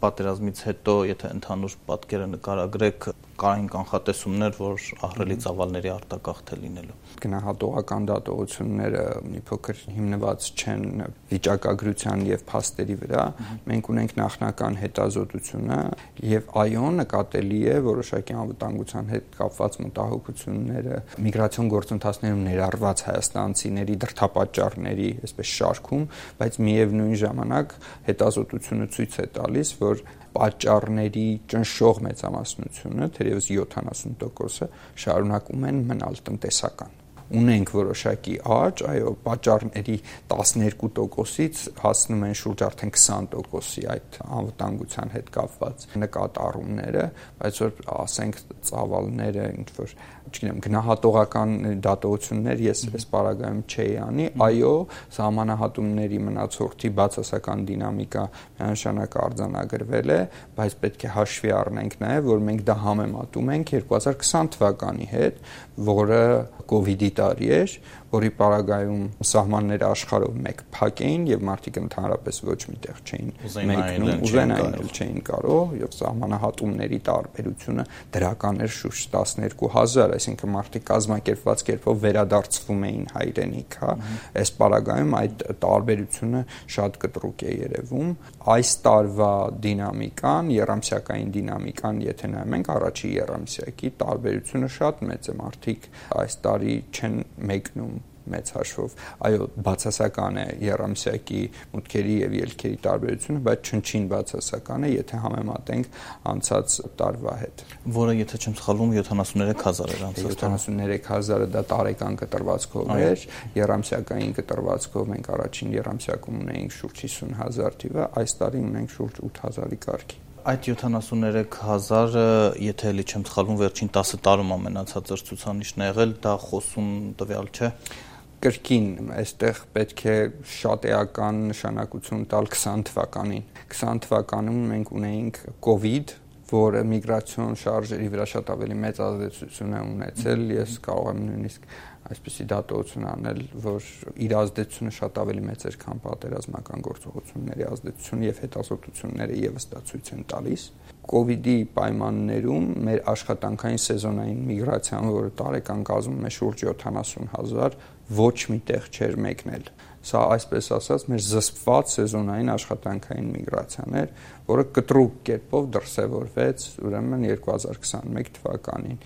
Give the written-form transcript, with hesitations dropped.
Պատերազմից հետո, եթե ընդհանուր պատկերը նկարագրեք, կային կանխատեսումներ, որ ահռելի ծավալների արտագաղթ է լինելու։ Գնահատողական դատողությունները մի փոքր հիմնված չեն վիճակագրության եւ փաստերի վրա։ Մենք ունենք նախնական հետազոտությունը եւ այո, նկատելի է որոշակի անվտանգության հետ կապված մտահոգությունները միգրացիոն գործընթացներում ներառված հայաստանցիների դրդապատճառների, այսպես շարքում, բայց միևնույն ժամանակ հետազոտությունը ցույց է տալիս, որ պատճառների ճնշող մեծամասնությունը, թերևս 70%-ը շարունակում են մնալ տնտեսական։ Ունենք որոշակի աճ, այո, պատճառների 12%-ից հասնում են շուրջ արդեն 20%-ի այդ անվտանգության հետ կապված նկատառումները, բայց որ ասենք ծավալները ինչ որ, չգիտեմ, գնահատողական դատողություններ ես այս պարագայում չէի անի, այո, սահմանահատումների մնացորդի բացասական դինամիկա միանշանակ արձանագրվել է, բայց պետք է հաշվի առնենք նաև, որ մենք դա համեմատում ենք 2020 թվականի հետ, որը COVID-ի տարի էր, որի պարագայում սահմանները աշխարհով մեկ փակ էին եւ մարդիկ ընդհանրապես ոչ միտեղ չէին մեկնում, ուզենային չէին կարող, եւ սահմանահատումների տարբերությունը դրական էր շուրջ 12,000, այսինքն մարդիկ կազմակերպված կերպով վերադարձվում էին հայրենիք, հա, այս պարագայում այդ տարբերությունը շատ կտրուկ է երևում։ Այս տարվա դինամիկան, եռամսյակային դինամիկան, եթե նայում ենք առաջի եռամսյակի, տարբերությունը շատ մեծ է, մարդիկ այս տարի չեն մեկնում մեծ հաշվով, այո, բացասական է եռամսյակի մուտքերի եւ ելքերի տարբերությունը, բայց չնչին բացասական է, եթե համեմատենք անցած տարվա հետ։ Որը, եթե չեմ սխալվում, 73,000 էր անցած տարի։ 73,000-ը դա տարեկան կտրվածքով էր, եռամսյակային կտրվածքով մենք առաջին եռամսյակում ունեինք շուրջ 50,000 թիվը, այս տարի ունենք շուրջ 8,000-ի կարգի։ Այդ 73,000-ը, եթե էլի չեմ սխալվում, վերջին 10 տարում ամենացածր ցուցանիշն է եղել, դա խոսուն տվյալ չէ։ Կրկին այստեղ պետք է շատ էական նշանակություն տալ 20 թվականին։ 20 թվականում մենք ունեինք COVID, որը միգրացիոն շարժերի վրա շատ ավելի մեծ ազդեցություն է ունեցել։ Ես կարող եմ նույնիսկ այսպեսի դատողություն անել, որ իր ազդեցությունը շատ ավելի մեծ էր, քան պատերազմական գործողությունների ազդեցությունը եւ հետազոտությունները եւս դա ցույց են տալիս։ COVID-ի պայմաններում մեր աշխատանքային սեզոնային միգրացիան, որը տարեկան կազմում է շուրջ 70,000, ոչ միտեղ չէր մեկնել։ Սա այսպես ասած մեր զսպված սեզոնային աշխատանքային միգրացիան էր, որը կտրուկ կերպով դրսևորվեց ուրեմն 2021 թվականին։